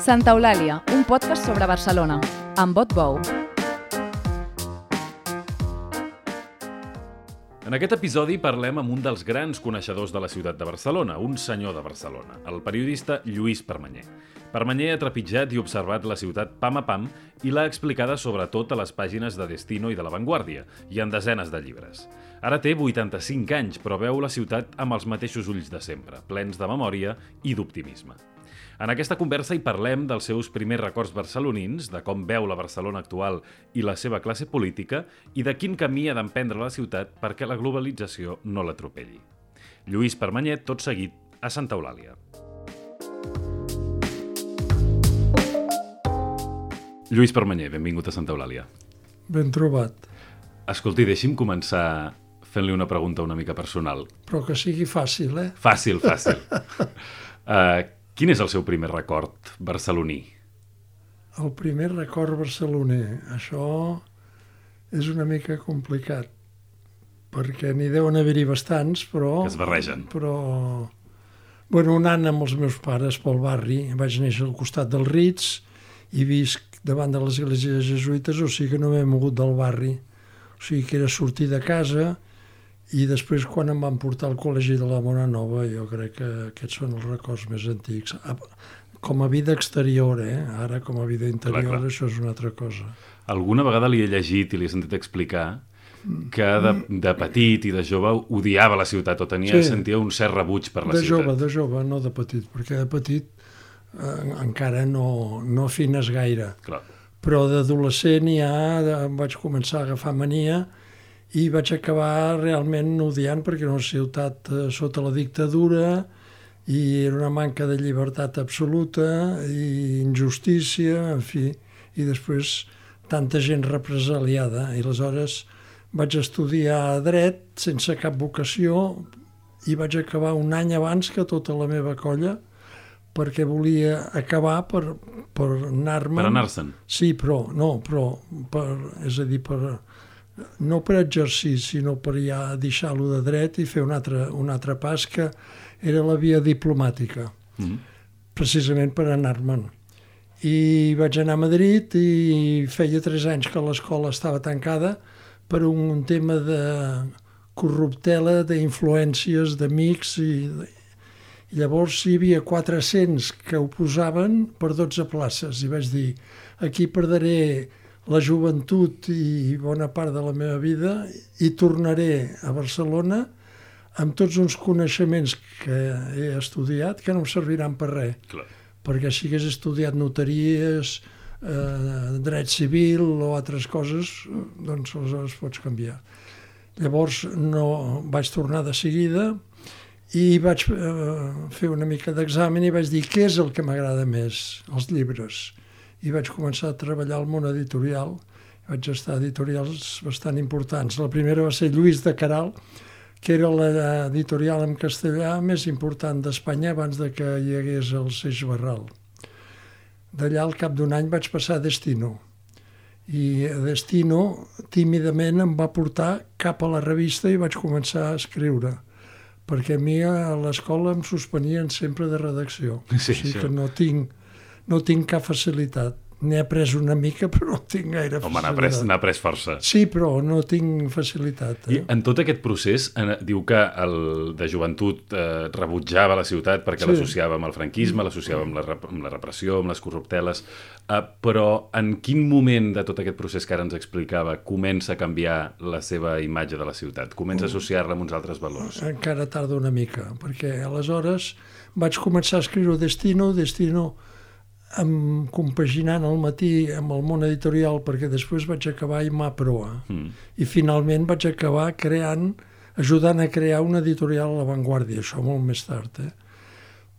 Santa Eulàlia, un podcast sobre Barcelona, amb Bot Bou. En aquest episodi parlem amb un dels grans coneixedors de la ciutat de Barcelona, un senyor de Barcelona, el periodista Lluís Permanyer. Permanyer ha trepitjat i observat la ciutat pam a pam i l'ha explicada sobretot a les pàgines de Destino i de La Vanguardia, i en desenes de llibres. Ara té 85 anys, però veu la ciutat amb els mateixos ulls de sempre, plens de memòria i d'optimisme. En aquesta conversa hi parlem dels seus primers records barcelonins, de com veu la Barcelona actual i la seva classe política i de quin camí ha d'emprendre la ciutat perquè la globalització no l'atropelli. Lluís Permanyer, tot seguit, a Santa Eulàlia. Lluís Permanyer, benvingut a Santa Eulàlia. Ben trobat. Escolti, deixi'm començar fent-li una pregunta una mica personal. Però que sigui fàcil, eh? Fàcil. Quin és el seu primer record barceloní? El primer record barceloner. Això és una mica complicat, perquè n'hi deuen haver-hi bastants, però... Que es barregen. Però... Bueno, anant amb els meus pares pel barri, vaig néixer al costat del Ritz i visc davant de l'església de jesuïtes, o sigui que no m'he mogut del barri. O sigui que era sortir de casa i després quan em van portar al col·legi de la Mona Nova, jo crec que aquests són els records més antics. Com a vida exterior, Ara com a vida interior, clar. Això és una altra cosa. Alguna vegada li he llegit i li he sentit explicar que de petit i de jove odiava la ciutat o sentia un cert rebuig per la ciutat. De jove, no de petit, perquè de petit encara no afines gaire. Clar. Però d'adolescent ja vaig començar a agafar mania i vaig acabar realment odiant perquè era una ciutat sota la dictadura i era una manca de llibertat absoluta i injustícia, en fi, i després tanta gent represaliada. I aleshores vaig estudiar dret sense cap vocació i vaig acabar un any abans que tota la meva colla perquè volia acabar per anar-me'n. Per anar-se'n? Sí, però no per exercir, sinó per ja deixar-lo de dret i fer un altre pas que era la via diplomàtica, precisament per anar-me'n. I vaig anar a Madrid i feia 3 anys que l'escola estava tancada per un tema de corruptela, d'influències, d'amics i llavors hi havia 400 que ho posaven per 12 places i vaig dir, aquí perdré la joventut i bona part de la meva vida i tornaré a Barcelona amb tots uns coneixements que he estudiat que no em serviran per res. Clar. Perquè si hagués estudiat notaries, dret civil o altres coses, doncs aleshores pots canviar. Llavors no vaig tornar de seguida i vaig fer una mica d'examen i vaig dir què és el que m'agrada més, els llibres. I vaig començar a treballar al món editorial. Vaig estar a editorials bastant importants. La primera va ser Lluís de Queralt, que era l'editorial en castellà més important d'Espanya abans de que hi hagués el Seix Barral. D'allà, al cap d'un any, vaig passar a Destino. I a Destino, tímidament, em va portar cap a la revista i vaig començar a escriure. Perquè a mi a l'escola em suspenien sempre de redacció. Sí, o sigui que no tinc cap facilitat. N'he après una mica, però no tinc gaire facilitat. Home, n'ha après força. Sí, però no tinc facilitat. I en tot aquest procés, diu que el de joventut rebutjava la ciutat perquè l'associava amb el franquisme, l'associava amb la repressió, amb les corrupteles, però en quin moment de tot aquest procés que ara ens explicava comença a canviar la seva imatge de la ciutat? Comença a associar-la amb uns altres valors? Encara tarda una mica, perquè aleshores vaig començar a escriure Destino compaginant al matí amb el món editorial perquè després vaig acabar a IMA Proa i finalment vaig acabar ajudant a crear una editorial a La Vanguardia, això molt més tard.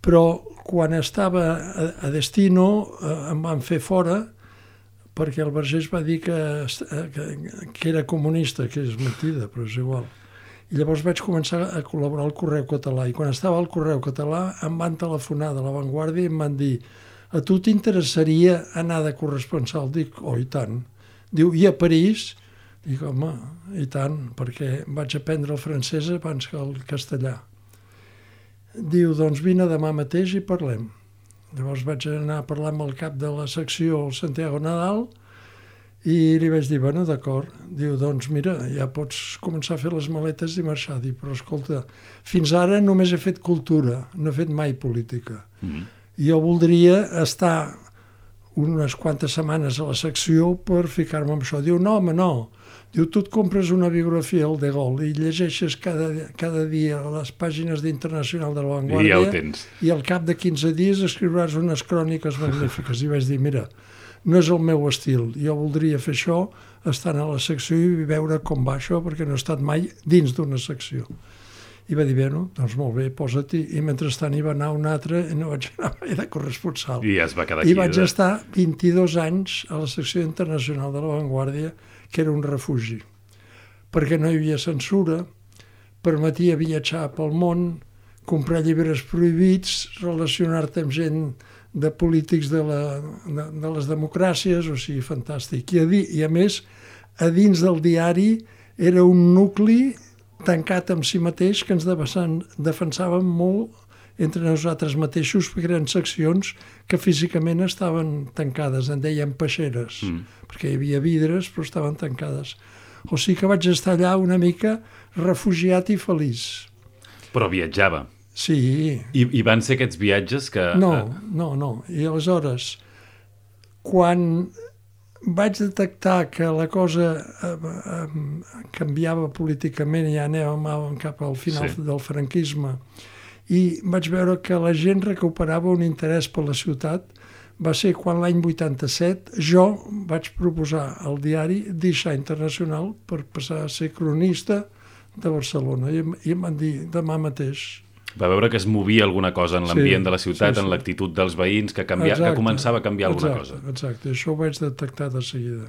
Però quan estava a Destino em van fer fora perquè el Vergés va dir que era comunista, que és mentida, però és igual. I llavors vaig començar a col·laborar al Correu Català i quan estava al Correu Català em van telefonar de La Vanguardia i em van dir a tu t'interessaria anar de corresponsal? Dic, i tant. Diu, i a París? Dic, home, i tant, perquè vaig aprendre el francès abans que el castellà. Diu, doncs vine demà mateix i parlem. Llavors vaig anar a parlar amb el cap de la secció, el Santiago Nadal, i li vaig dir, bueno, d'acord. Diu, doncs mira, ja pots començar a fer les maletes i marxar. Dic, però escolta, fins ara només he fet cultura, no he fet mai política. Jo voldria estar unes quantes setmanes a la secció per ficar-me amb això. Diu, no, home, no. Diu, tu et compres una biografia al De Gaulle i llegeixes cada dia les pàgines d'Internacional de la Vanguardia i ja ho tens. I al cap de 15 dies escriuràs unes cròniques magnífiques. I vaig dir, mira, no és el meu estil. Jo voldria fer això, estar a la secció i veure com va això, perquè no he estat mai dins d'una secció. I va dir, bé, no? Doncs molt bé, posa-t'hi. I mentrestant hi va anar un altre i no vaig anar mai de corresponsal. I ja es va quedar aquí. I vaig estar 22 anys a la secció internacional de la Vanguardia, que era un refugi, perquè no hi havia censura, permetia viatjar pel món, comprar llibres prohibits, relacionar-te amb gent de polítics de les democràcies, o sigui, fantàstic. I a més, a dins del diari era un nucli tancat amb si mateix que ens defensàvem molt entre nosaltres mateixos, perquè eren seccions que físicament estaven tancades, en deien peixeres, perquè hi havia vidres però estaven tancades. O sigui que vaig estar allà una mica refugiat i feliç. Però viatjava. Sí. I van ser aquests viatges que... No. I aleshores, quan vaig detectar que la cosa canviava políticament i ja anàvem cap al final del franquisme, i vaig veure que la gent recuperava un interès per la ciutat, va ser quan l'any 87 jo vaig proposar al diari deixar Internacional per passar a ser cronista de Barcelona. I em van dir demà mateix. Va veure que es movia alguna cosa en l'ambient de la ciutat, en l'actitud dels veïns, que començava a canviar alguna cosa. Exacte, això ho vaig detectar de seguida.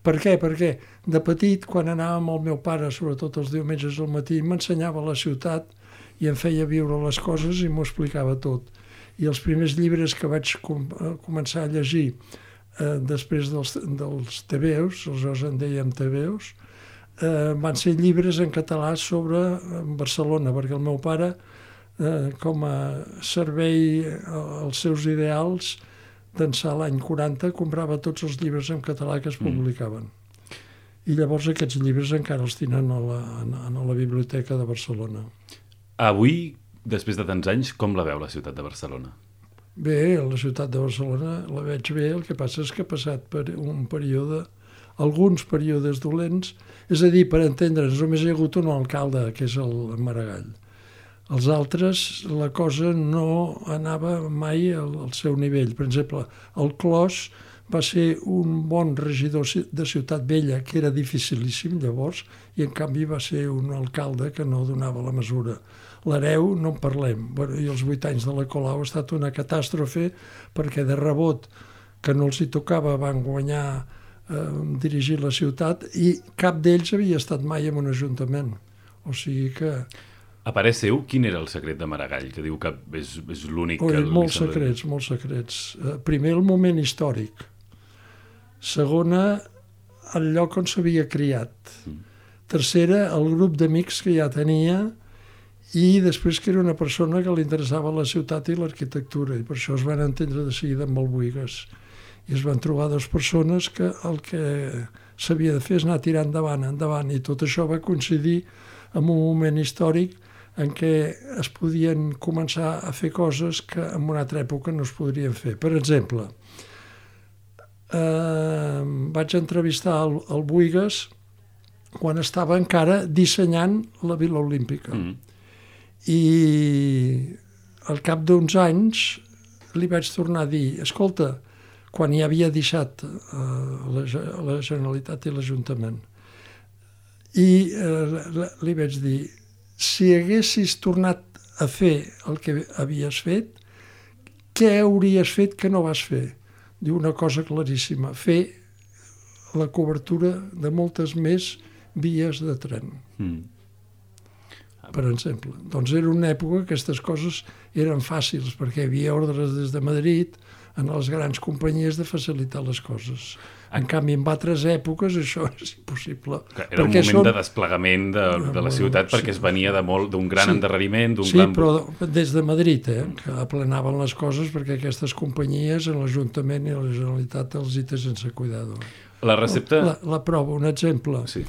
Per què? Perquè de petit, quan anàvem amb el meu pare, sobretot els diumenges al matí, m'ensenyava la ciutat i em feia viure les coses i m'ho explicava tot. I els primers llibres que vaig començar a llegir després dels tebeus, aleshores en dèiem tebeus, van ser llibres en català sobre Barcelona, perquè el meu pare, com a servei als seus ideals, d'ençà l'any 40, comprava tots els llibres en català que es publicaven. I llavors aquests llibres encara els tenen a la Biblioteca de Barcelona. Avui, després de tants anys, com la veu la ciutat de Barcelona? Bé, la ciutat de Barcelona la veig bé, el que passa és que ha passat per un període, alguns períodes dolents, és a dir, per entendre'ns, només hi ha hagut un alcalde, que és el Maragall. Els altres, la cosa no anava mai al seu nivell. Per exemple, el Clos va ser un bon regidor de Ciutat Vella, que era dificilíssim llavors, i en canvi va ser un alcalde que no donava la mesura. L'Hereu no en parlem. I els 8 anys de la Colau ha estat una catàstrofe, perquè de rebot que no els hi tocava van guanyar dirigir la ciutat i cap d'ells havia estat mai en un ajuntament. O sigui que... A parer seu, quin era el secret de Maragall, que diu que és l'únic que... Molts secrets. Primer, el moment històric. Segona, el lloc on s'havia criat. Tercera, el grup d'amics que ja tenia, i després que era una persona que li interessava la ciutat i l'arquitectura, i per això es van entendre de seguida amb el Buigas. I es van trobar dues persones que el que s'havia de fer és anar tirant endavant, i tot això va coincidir amb un moment històric en què es podien començar a fer coses que en una altra època no es podrien fer. Per exemple, vaig entrevistar el Buigas quan estava encara dissenyant la Vila Olímpica. I al cap d'uns anys li vaig tornar a dir, escolta, quan ja havia deixat la Generalitat i l'Ajuntament, i li vaig dir, si haguessis tornat a fer el que havies fet, què hauries fet que no vas fer? Diu una cosa claríssima, fer la cobertura de moltes més vies de tren. Per exemple. Doncs era una època que aquestes coses eren fàcils, perquè hi havia ordres des de Madrid, en les grans companyies de facilitar les coses. En canvi, en altres èpoques això és impossible. Era un moment de desplegament de la ciutat perquè es venia d'un gran endarreriment, d'un gran... Sí, però des de Madrid, que aplanaven les coses perquè aquestes companyies en l'Ajuntament i la Generalitat els hi té sense cuidado. La recepta... La prova, un exemple. Sí.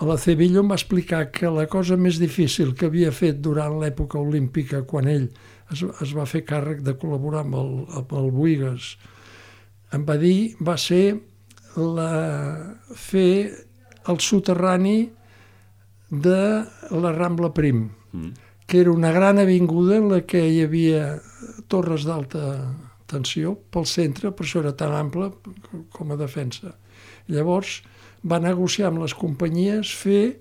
A la Cebillo em va explicar que la cosa més difícil que havia fet durant l'època olímpica, quan ell es va fer càrrec de col·laborar amb el Buigas, em va dir, va ser fer el soterrani de la Rambla Prim, que era una gran avinguda en la que hi havia torres d'alta tensió pel centre, per això era tan ample com a defensa. Llavors va negociar amb les companyies fer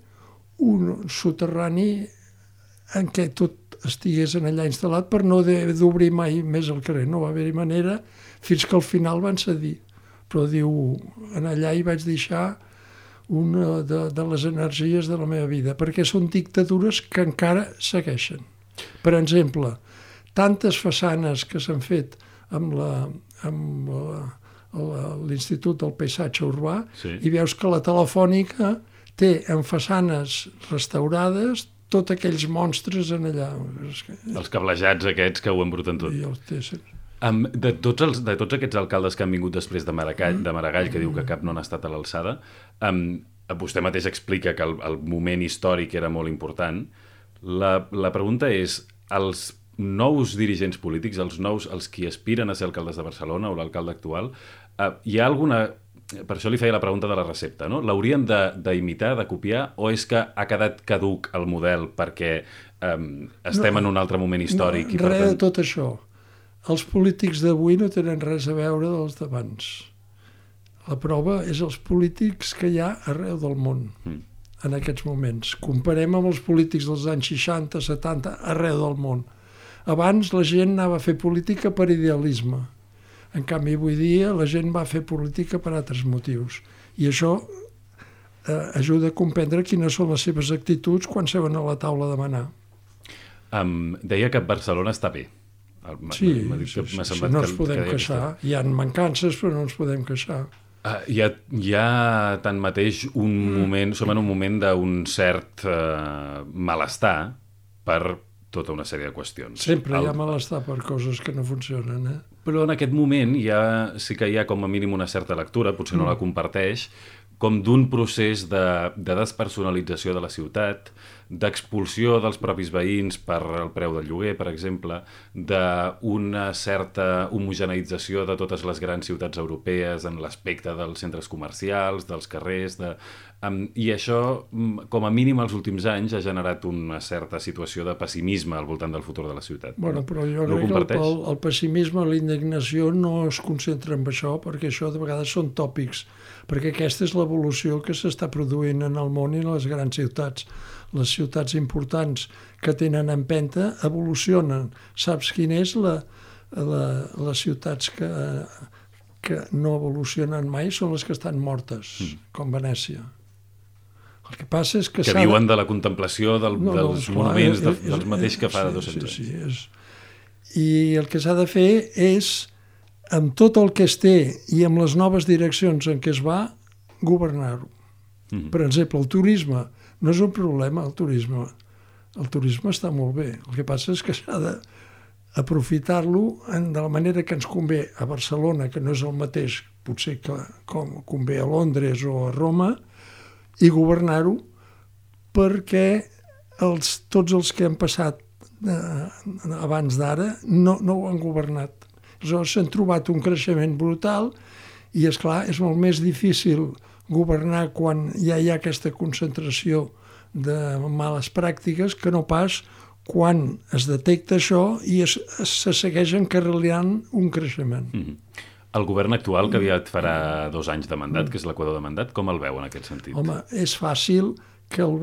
un soterrani en què tot estigués allà instal·lat per no haver d'obrir mai més el carrer. No va haver-hi manera fins que al final van cedir. Però diu, en allà hi vaig deixar una de les energies de la meva vida, perquè són dictadures que encara segueixen. Per exemple, tantes façanes que s'han fet amb l'Institut del Paisatge Urbà, i veus que la Telefònica té en façanes restaurades tots aquells monstres en allà. Els cablejats aquests que ho embruten tot. De tots aquests alcaldes que han vingut després de Maragall, que diu que cap no n'ha estat a l'alçada, vostè mateix explica que el moment històric era molt important. La pregunta és, els nous dirigents polítics, els qui aspiren a ser alcaldes de Barcelona o l'alcalde actual, hi ha alguna... Per això li feia la pregunta de la recepta, no? L'haurien d'imitar, de copiar, o és que ha quedat caduc el model perquè estem en un altre moment històric? No, res de tot això. Els polítics d'avui no tenen res a veure dels d'abans. La prova és els polítics que hi ha arreu del món en aquests moments. Comparem amb els polítics dels anys 60, 70, arreu del món. Abans la gent anava a fer política per idealisme. En canvi, avui dia la gent va fer política per altres motius. I això ajuda a comprendre quines són les seves actituds quan seuen a la taula a demanar. Deia que Barcelona està bé. Sí, no ens podem queixar. Hi ha mancances, però no ens podem queixar. Hi ha tanmateix un moment, som en un moment d'un cert malestar per tota una sèrie de qüestions. Sempre hi ha malestar per coses que no funcionen, Però en aquest moment sí que hi ha com a mínim una certa lectura, potser no la comparteix, com d'un procés de despersonalització de la ciutat, d'expulsió dels propis veïns per el preu del lloguer, per exemple, d'una certa homogeneïtzació de totes les grans ciutats europees en l'aspecte dels centres comercials, dels carrers, i això, com a mínim els últims anys, ha generat una certa situació de pessimisme al voltant del futur de la ciutat. Bueno, però jo crec que el pessimisme, la indignació no es concentra en això, perquè això de vegades són tòpics, perquè aquesta és l'evolució que s'està produint en el món i en les grans ciutats. Les ciutats importants que tenen empenta evolucionen. Saps quina és les ciutats que no evolucionen mai? Són les que estan mortes, com Venècia. El que passa és que viuen de la contemplació dels monuments dels mateix que fa 200 anys. I el que s'ha de fer és, amb tot el que es té i amb les noves direccions en què es va, governar-ho. Per exemple, el turisme no és un problema, el turisme. El turisme està molt bé. El que passa és que s'ha d'aprofitar-lo de la manera que ens convé a Barcelona, que no és el mateix potser que com convé a Londres o a Roma, i governar-ho perquè tots els que han passat abans d'ara no ho han governat. Aleshores s'han trobat un creixement brutal i, esclar, és molt més difícil governar quan ja hi ha aquesta concentració de males pràctiques que no pas quan es detecta això i se segueix encarrilant un creixement. El govern actual, que aviat farà 2 anys de mandat, que és l'equador de mandat, com el veu en aquest sentit? Home, és fàcil que el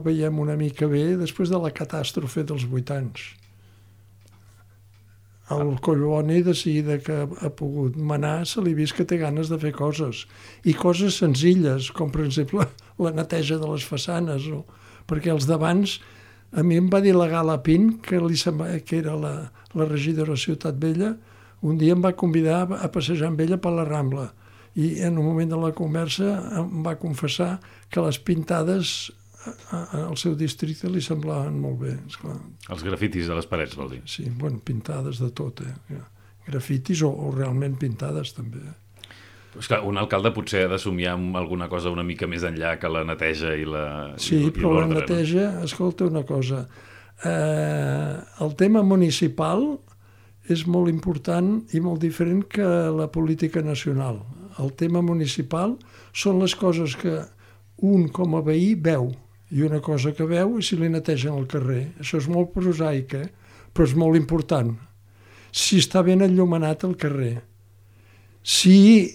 veiem una mica bé després de la catàstrofe dels 8 anys. El Collboni, de seguida que ha pogut manar, se li ha vist que té ganes de fer coses. I coses senzilles, com per exemple la neteja de les façanes. Perquè els d'abans, a mi em va dir la Gala Pin, que era la regidora de Ciutat Vella, Un dia em va convidar a passejar amb ella per la Rambla i en un moment de la conversa em va confessar que les pintades al seu districte li semblaven molt bé. Esclar. Els grafitis de les parets, vol dir? Sí, bueno, pintades de tot, grafitis o realment pintades també. És que un alcalde potser ha de somiar amb alguna cosa una mica més enllà que la neteja i la Sí, però la neteja, escolta una cosa, el tema municipal és molt important i molt diferent que la política nacional. El tema municipal són les coses que un com a veí veu, i una cosa que veu és si li netegen el carrer. Això és molt prosaic, però és molt important. Si està ben enllumenat el carrer, si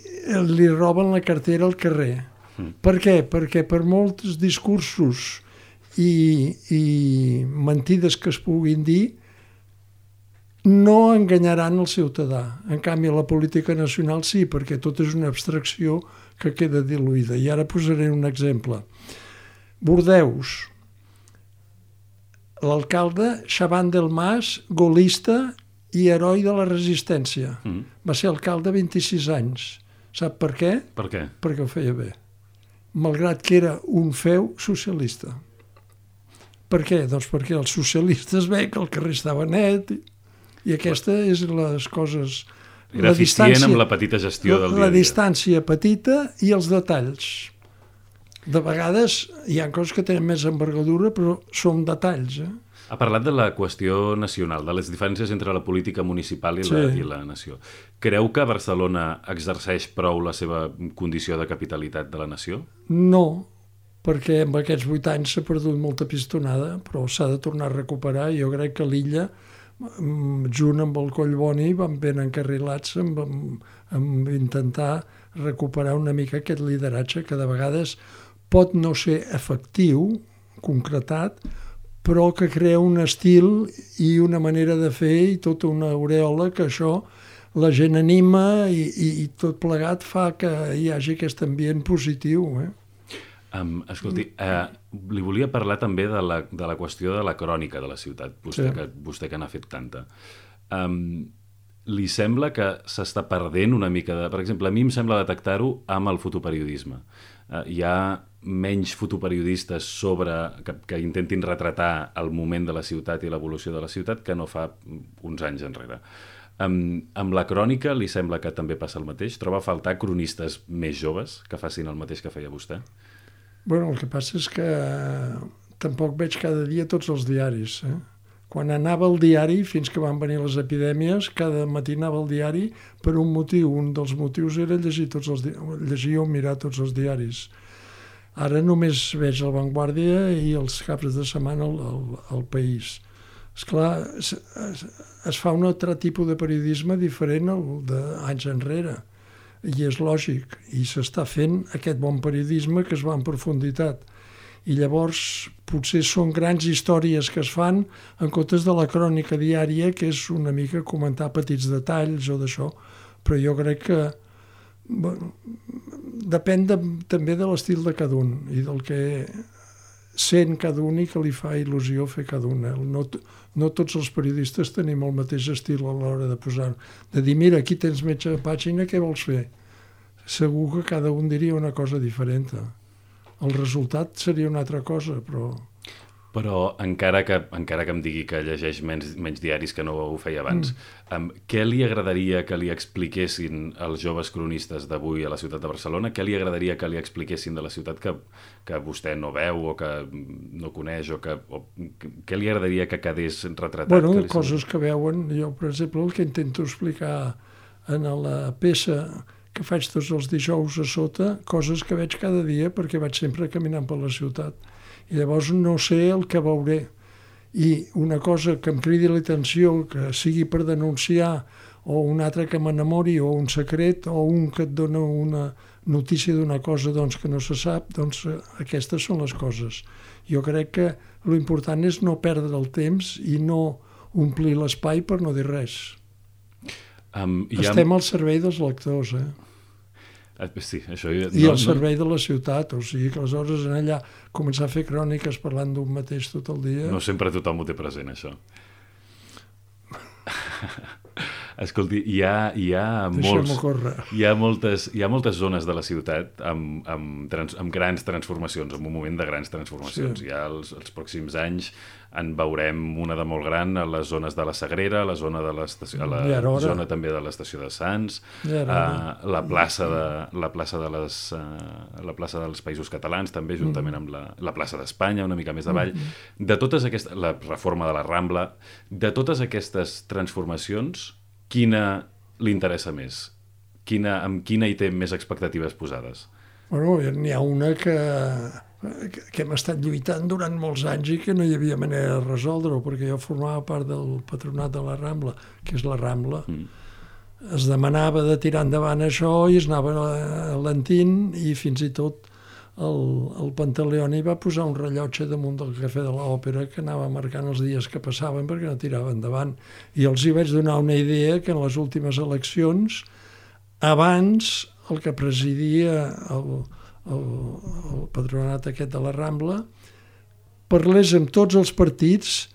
li roben la cartera al carrer. Per què? Perquè per molts discursos i mentides que es puguin dir, no enganyaran el ciutadà. En canvi, la política nacional sí, perquè tot és una abstracció que queda diluïda. I ara posaré un exemple. Bordeus. L'alcalde Chaban del Mas, golista i heroi de la resistència. Va ser alcalde 26 anys. Sap per què? Per què? Perquè ho feia bé. Malgrat que era un feu socialista. Per què? Doncs perquè els socialistes veien que el carrer estava net i aquesta és les coses... Era eficient amb la petita gestió del dia a dia. La distància petita i els detalls. De vegades hi ha coses que tenen més envergadura, però són detalls. Ha parlat de la qüestió nacional, de les diferències entre la política municipal i la nació. Creu que Barcelona exerceix prou la seva condició de capitalitat de la nació? No, perquè en aquests 8 anys s'ha perdut molta pistonada, però s'ha de tornar a recuperar. Jo crec que l'illa, junt amb el Collboni, van ben encarrilats amb intentar recuperar una mica aquest lideratge que de vegades pot no ser efectiu, concretat, però que crea un estil i una manera de fer i tota una aureola que això la gent anima i tot plegat fa que hi hagi aquest ambient positiu. Escolti, li volia parlar també de la qüestió de la crònica de la ciutat, vostè que n'ha fet tanta. Li sembla que s'està perdent una mica de... Per exemple, a mi em sembla detectar-ho amb el fotoperiodisme. Hi ha menys fotoperiodistes que intentin retratar el moment de la ciutat i l'evolució de la ciutat que no fa uns anys enrere. Amb la crònica li sembla que també passa el mateix? Troba a faltar cronistes més joves que facin el mateix que feia vostè? Bueno, el que passa és que tampoc veig cada dia tots els diaris. Quan anava al diari, fins que van venir les epidèmies, cada matí anava al diari per un motiu. Un dels motius era llegir o mirar tots els diaris. Ara només veig el Vanguardia i els caps de setmana al País. Esclar, es fa un altre tipus de periodisme diferent al d'anys enrere. I és lògic. I s'està fent aquest bon periodisme que es va en profunditat. I llavors potser són grans històries que es fan en comptes de la crònica diària, que és una mica comentar petits detalls o d'això. Però jo crec que depèn també de l'estil de cada un i del que sent cada un i que li fa il·lusió fer cada un. No tots els periodistes tenim el mateix estil a l'hora de posar, de dir, mira, aquí tens mitja pàgina, què vols fer? Segur que cada un diria una cosa diferent. El resultat seria una altra cosa, però... Però encara que em digui que llegeix menys diaris que no ho feia abans, què li agradaria que li expliquessin els joves cronistes d'avui a la ciutat de Barcelona? Què li agradaria que li expliquessin de la ciutat que vostè no veu o que no coneix? Què li agradaria que quedés retratat? Bueno, coses que veuen. Jo, per exemple, el que intento explicar en la peça que faig tots els dijous a sota, coses que veig cada dia perquè vaig sempre caminant per la ciutat. I llavors no sé el que veuré. I una cosa que em cridi l'atenció, que sigui per denunciar, o una altra que m'enamori, o un secret, o un que et dona una notícia d'una cosa que no se sap, doncs aquestes són les coses. Jo crec que l'important és no perdre el temps i no omplir l'espai per no dir res. Estem al servei dels lectors, Sí, això... I al servei de la ciutat, o sigui que aleshores en allà començar a fer cròniques parlant d'un mateix tot el dia... No sempre tothom ho té present, això. Escolti, hi ha moltes zones de la ciutat amb grans transformacions, en un moment de grans transformacions. Sí. Ja els pròxims anys en veurem una de molt gran a les zones de la Sagrera, a la zona de l'estació, a la zona també de l'estació de Sants, la plaça dels Països Catalans, també juntament amb la plaça d'Espanya, una mica més avall. De totes aquestes, la reforma de la Rambla, de totes aquestes transformacions, quina li interessa més? Amb quina hi té més expectatives posades? Bueno, n'hi ha una que hem estat lluitant durant molts anys i que no hi havia manera de resoldre-ho, perquè jo formava part del patronat de la Rambla, que és la Rambla. Es demanava de tirar endavant això i es anava alentint, i fins i tot el Pantaleoni va posar un rellotge damunt del Cafè de l'Òpera que anava marcant els dies que passaven perquè no tirava endavant. I els hi vaig donar una idea que en les últimes eleccions, abans el que presidia el patronat aquest de la Rambla parlés amb tots els partits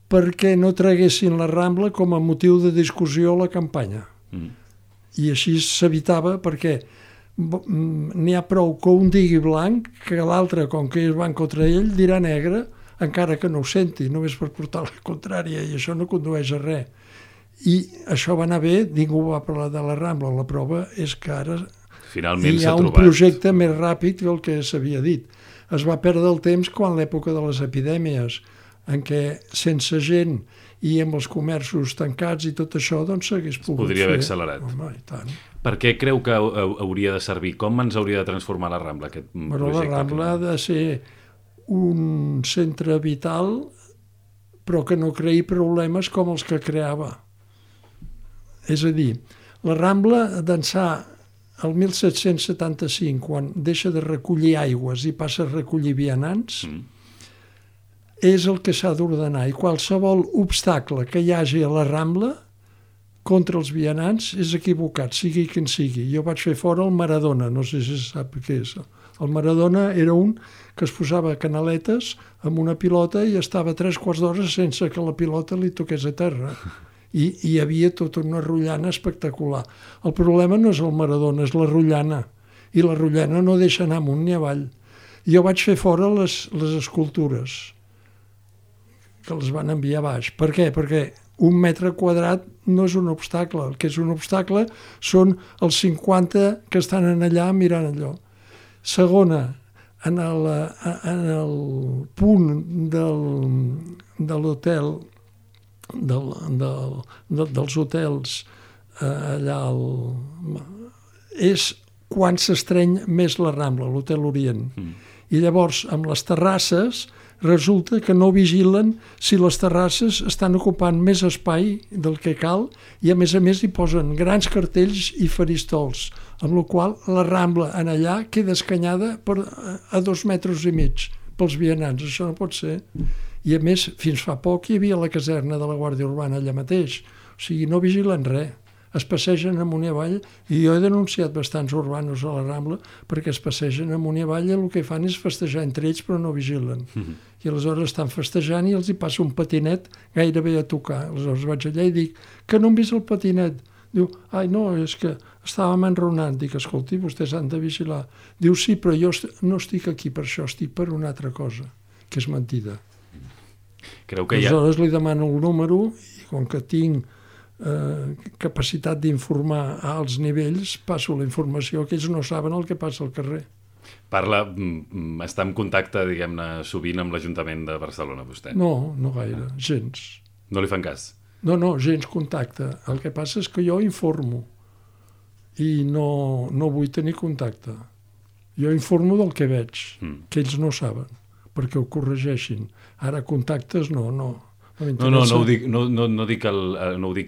perquè no traguessin la Rambla com a motiu de discussió a la campanya. I així s'evitava, perquè n'hi ha prou que un digui blanc que l'altre, com que van contra ell, dirà negre, encara que no ho senti, només per portar la contrària, i això no condueix a res. I això va anar bé, ningú va parlar de la Rambla. La prova és que ara finalment hi ha un projecte més ràpid que el que s'havia dit. Es va perdre el temps quan l'època de les epidèmies, en què sense gent i amb els comerços tancats i tot això, doncs s'hagués pogut fer. Podria haver accelerat. Home, i tant. Per què creu que hauria de servir? Com ens hauria de transformar la Rambla, aquest projecte? La Rambla ha de ser un centre vital, però que no creï problemes com els que creava. És a dir, la Rambla d'ençà el 1775, quan deixa de recollir aigües i passa a recollir vianants, és el que s'ha d'ordenar, i qualsevol obstacle que hi hagi a la Rambla contra els vianants és equivocat, sigui quin sigui. Jo vaig fer fora el Maradona, no sé si sap què és. El Maradona era un que es posava canaletes amb una pilota i estava 3/4 d'hora sense que la pilota li toqués a terra. I hi havia tota una rotllana espectacular. El problema no és el Maradona, és la rotllana. I la rotllana no deixa anar amunt ni avall. Jo vaig fer fora les escultures, que les van enviar baix. Per què? Perquè 1 metre quadrat no és un obstacle. El que és un obstacle són els 50 que estan allà mirant allò. Segona, en el punt de l'hotel, dels hotels allà és quan s'estreny més la Rambla, l'Hotel Orient. I llavors, amb les terrasses, resulta que no vigilen si les terrasses estan ocupant més espai del que cal, i a més hi posen grans cartells i faristols, amb la qual la Rambla en allà queda escanyada a 2,5 metres pels vianants. Això no pot ser. I a més, fins fa poc hi havia la caserna de la Guàrdia Urbana allà mateix. O sigui, no vigilen res. Es passegen amunt i avall, i jo he denunciat bastants urbanos a la Rambla perquè es passegen amunt i avall i el que fan és festejar entre ells però no vigilen. I aleshores estan festejant i els hi passa un patinet gairebé a tocar. Aleshores vaig allà i dic, que no hem vist el patinet? Diu, ai no, és que estàvem enronant. Dic, escolti, vostès han de vigilar. Diu, sí, però jo no estic aquí per això, estic per una altra cosa, que és mentida. Creu que aleshores li demano el número i com que tinc capacitat d'informar a alts nivells, passo la informació, que ells no saben el que passa al carrer. Està en contacte, diguem-ne, sovint amb l'Ajuntament de Barcelona, vostè? No, no gaire, gens. No li fan cas? No, gens contacte. El que passa és que jo informo i no vull tenir contacte. Jo informo del que veig, que ells no saben, perquè ho corregeixin. Ara contactes no ho dic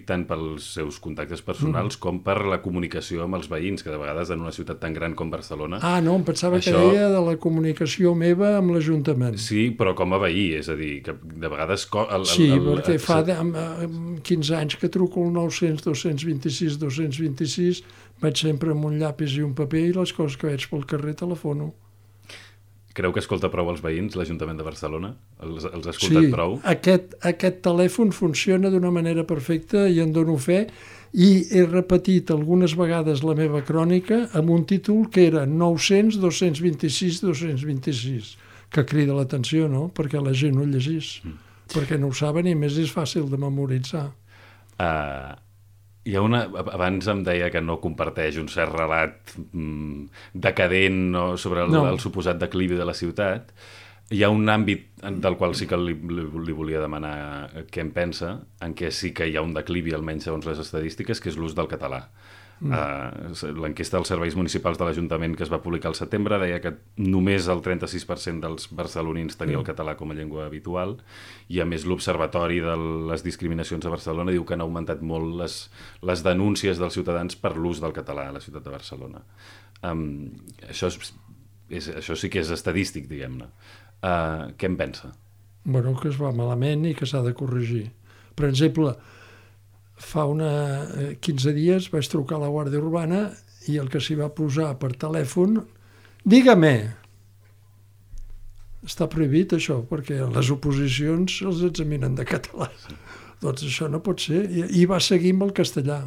tant pels seus contactes personals com per la comunicació amb els veïns, que de vegades en una ciutat tan gran com Barcelona... No, em pensava que deia de la comunicació meva amb l'Ajuntament. Sí, però com a veí, és a dir, que de vegades... perquè fa 15 anys que truco al 900-226-226, vaig sempre amb un llapis i un paper i les coses que veig pel carrer telefono. Creu que escolta prou els veïns, l'Ajuntament de Barcelona? Els ha escoltat prou? Sí, aquest telèfon funciona d'una manera perfecta i en dono fe, i he repetit algunes vegades la meva crònica amb un títol que era 900 226 226, que crida l'atenció, no?, perquè la gent ho llegís, perquè no ho saben i més és fàcil de memoritzar. Hi ha abans em deia que no comparteix un cert relat decadent sobre el suposat declivi de la ciutat. Hi ha un àmbit del qual sí que li volia demanar què en pensa, en què sí que hi ha un declivi, almenys segons les estadístiques, que és l'ús del català. L'enquesta dels serveis municipals de l'Ajuntament que es va publicar al setembre deia que només el 36% dels barcelonins tenia el català com a llengua habitual, i a més l'Observatori de les Discriminacions a Barcelona diu que han augmentat molt les denúncies dels ciutadans per l'ús del català a la ciutat de Barcelona. Això sí que és estadístic, diguem-ne. Què en pensa? Bueno, que es va malament i que s'ha de corregir. Per exemple, fa 15 dies vaig trucar a la Guàrdia Urbana i el que s'hi va posar per telèfon, dígame, està prohibit això, perquè les oposicions els examinen de català. Doncs això no pot ser. I va seguir amb el castellà.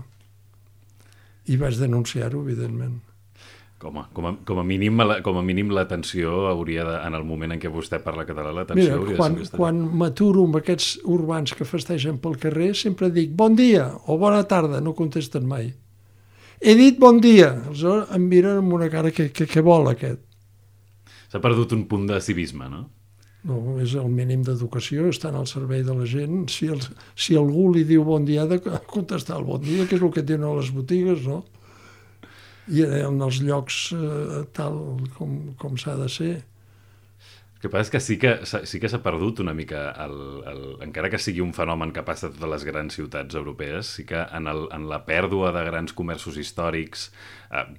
I vaig denunciar-ho, evidentment. Com a mínim l'atenció hauria de, en el moment en què vostè parla català, l'atenció hauria de ser castellà. Quan m'aturo amb aquests urbans que festegen pel carrer, sempre dic bon dia o bona tarda, no contesten mai. He dit bon dia, aleshores em miren amb una cara que vol aquest. S'ha perdut un punt de civisme, no? No, és el mínim d'educació, estan al servei de la gent. Si algú li diu bon dia, ha de contestar el bon dia, que és el que diuen a les botigues, no? I en els llocs tal com s'ha de ser. El que passa és que sí que s'ha perdut una mica, encara que sigui un fenomen que passa a totes les grans ciutats europees, sí que en la pèrdua de grans comerços històrics,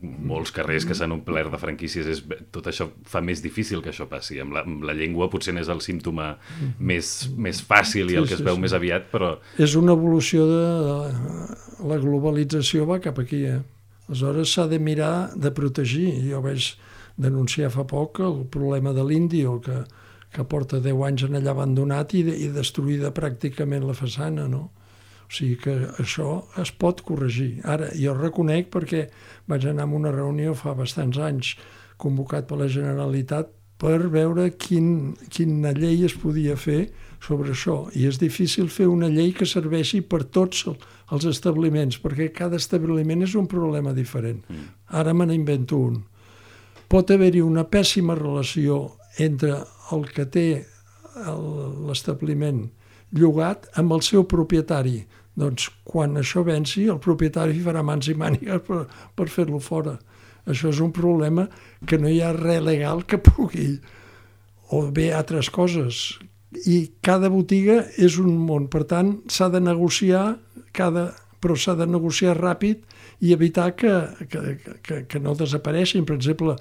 molts carrers que s'han omplert de franquícies, tot això fa més difícil que això passi. Amb la llengua potser n'és el símptoma més fàcil i el que es veu més aviat, però... És una evolució de la globalització, va cap aquí, Aleshores s'ha de mirar de protegir. Jo vaig denunciar fa poc el problema de l'Índio, que porta 10 anys en allà abandonat i destruïda pràcticament la façana, no? O sigui que això es pot corregir. Ara, jo reconec perquè vaig anar a una reunió fa bastants anys convocat per la Generalitat per veure quina llei es podia fer sobre això. I és difícil fer una llei que serveixi per tots els establiments, perquè cada establiment és un problema diferent. Ara me n'invento un. Pot haver-hi una pèssima relació entre el que té l'establiment llogat amb el seu propietari. Doncs quan això venci, el propietari farà mans i mànigues per fer-lo fora. Això és un problema que no hi ha res legal que pugui, o bé altres coses. I cada botiga és un món, per tant s'ha de negociar, però s'ha de negociar ràpid i evitar que no desapareixin. Per exemple,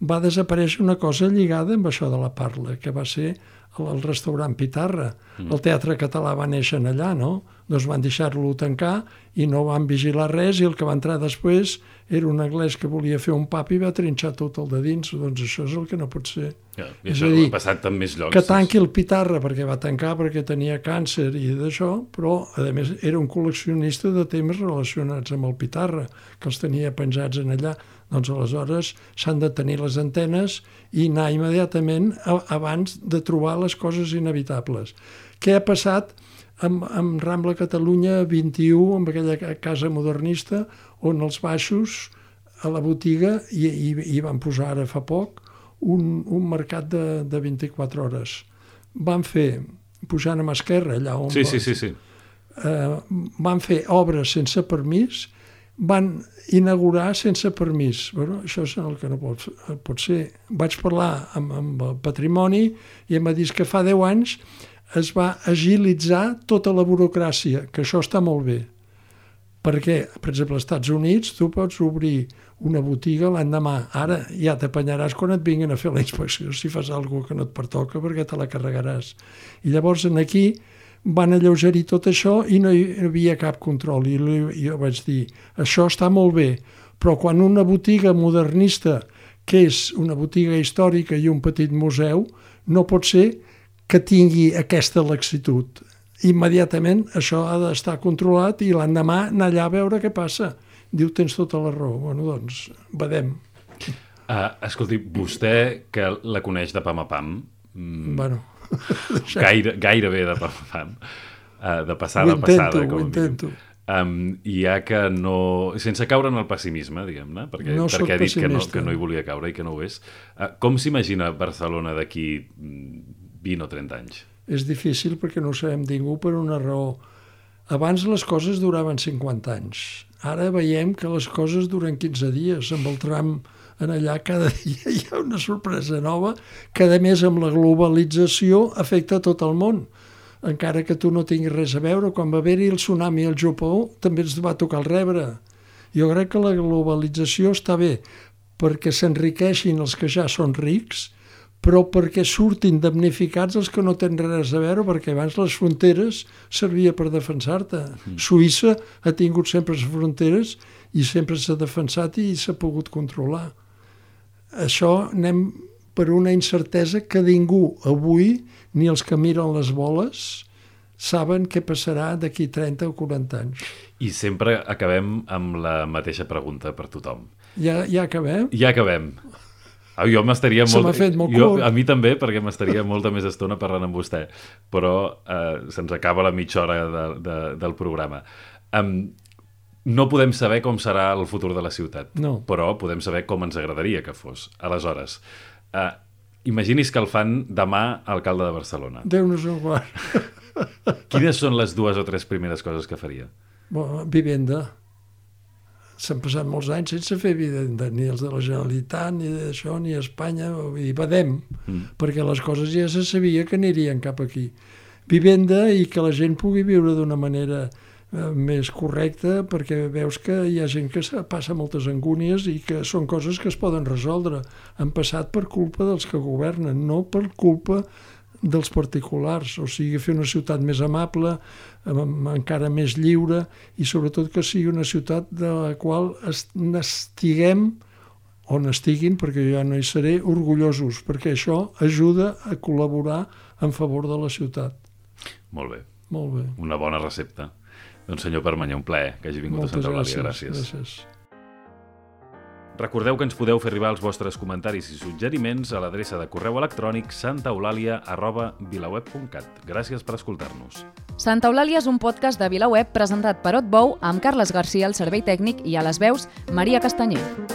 va desaparèixer una cosa lligada amb això de la parla, que va ser el restaurant Pitarra. El Teatre Català va néixer allà, no? Doncs van deixar-lo tancar i no van vigilar res, i el que va entrar després era un anglès que volia fer un pub i va trinxar tot el de dins. Doncs això és el que no pot ser. I això ha passat en més llocs. Que tanqui el Pitarra perquè va tancar perquè tenia càncer i d'això, però a més era un col·leccionista de temes relacionats amb el Pitarra, que els tenia penjats en allà. Doncs aleshores s'han de tenir les antenes i anar immediatament abans de trobar les coses inevitables. Què ha passat amb Rambla Catalunya 21, amb aquella casa modernista, on els baixos a la botiga hi van posar ara fa poc un mercat de 24 hores. Van fer, pujant a mà esquerra, allà on... Sí. Van fer obres sense permís, van inaugurar sense permís. Bueno, això és el que no pot ser. Vaig parlar amb el patrimoni i em va dir que fa 10 anys es va agilitzar tota la burocràcia, que això està molt bé. Perquè, per exemple, als Estats Units tu pots obrir una botiga l'endemà. Ara ja t'apanyaràs quan et vinguin a fer la inspecció si fas alguna cosa que no et pertoca, perquè te la carregaràs. I llavors aquí van alleugerir tot això i no hi havia cap control. I jo vaig dir, això està molt bé, però quan una botiga modernista que és una botiga històrica i un petit museu, no pot ser que tingui aquesta laxitud. Immediatament això ha d'estar controlat i l'endemà anar allà a veure què passa. Diu, tens tota la raó. Bueno, doncs, vedem. Escolti, vostè que la coneix de pam a pam, Bueno, gairebé de pam a pam, de passada a passada, com a intento. I ha que no... Sense caure en el pessimisme, diguem-ne, perquè ha dit que no hi volia caure i que no ho és. Com s'imagina Barcelona d'aquí 20 o 30 anys? És difícil perquè no ho sabem ningú per una raó. Abans les coses duraven 50 anys. Ara veiem que les coses duren 15 dies. Amb el tram en allà cada dia hi ha una sorpresa nova que, a més, amb la globalització afecta tot el món. Encara que tu no tinguis res a veure, quan va haver-hi el tsunami al Japó també ens va tocar el rebre. Jo crec que la globalització està bé perquè s'enriqueixin els que ja són rics, però perquè surtin damnificats els que no tenen res a veure, perquè abans les fronteres servia per defensar-te. Suïssa ha tingut sempre les fronteres i sempre s'ha defensat i s'ha pogut controlar. Això anem per una incertesa que ningú avui, ni els que miren les boles, saben què passarà d'aquí 30 o 40 anys. I sempre acabem amb la mateixa pregunta per tothom. Ja acabem? Ja acabem. Jo m'estaria molt... Se m'ha fet molt curt. A mi també, perquè m'estaria molta més estona parlant amb vostè, però se'ns acaba la mitja hora del programa. No podem saber com serà el futur de la ciutat, però podem saber com ens agradaria que fos. Aleshores, imagini's que el fan demà alcalde de Barcelona. Déu-nos-en guard. Quines són les 2 o 3 primeres coses que faria? Vivenda. S'han passat molts anys sense fer vivenda, ni els de la Generalitat, ni d'això, ni a Espanya, i badem, perquè les coses ja se sabia que anirien cap aquí. Vivenda i que la gent pugui viure d'una manera més correcta, perquè veus que hi ha gent que passa moltes angúnies i que són coses que es poden resoldre. Han passat per culpa dels que governen, no per culpa dels particulars. O sigui, fer una ciutat més amable, encara més lliure, i sobretot que sigui una ciutat de la qual n'estiguem, o n'estiguin, perquè jo ja no hi seré, orgullosos, perquè això ajuda a col·laborar en favor de la ciutat. Molt bé. Molt bé. Una bona recepta. Doncs senyor Permanyer, un plaer que hagi vingut a Santa Eulàlia. Gràcies. Recordeu que ens podeu fer arribar els vostres comentaris i suggeriments a l'adreça de correu electrònic santaeulàlia@vilaweb.cat. Gràcies per escoltar-nos. Santa Eulàlia és un podcast de VilaWeb presentat per Otbou amb Carles Garcia al servei tècnic i a les veus Maria Castanyer.